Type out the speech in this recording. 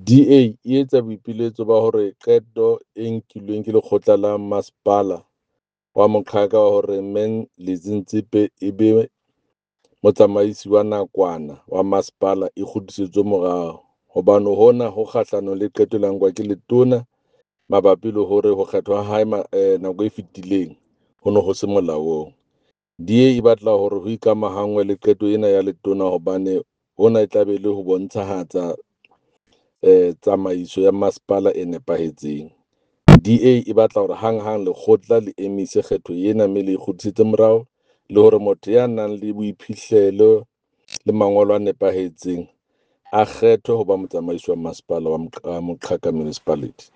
DA e etsa boipiletso ba hore qeto e nkilweng ke lekgotla la masepala wa Moqhaka wa hore Menlisi Ntsephe e be motsamaisi wa nakwana wa masepala e kgutlisetswe morao, hobane hona ho kgahlanong le qeto e ileng ya nkwa ke letona mabapi le hore ho kgethwa ha hae nako e fetileng ho ne ho se molaong. DA e batla hore ho ikamahanngwe le qeto ena ya letona hobane hona e tla be e le ho bontshahatsa tsamaiso ya masepala e nepahetseng. DA e batla hore hanghang lekgotla le emise kgetho ena mme le e kgutlisetse morao le hore motho ya nang le boiphihlelo le mangolo a nepahetseng a kgethwe ho ba motsamaisi wa masepala wa Moqhaka Municipality.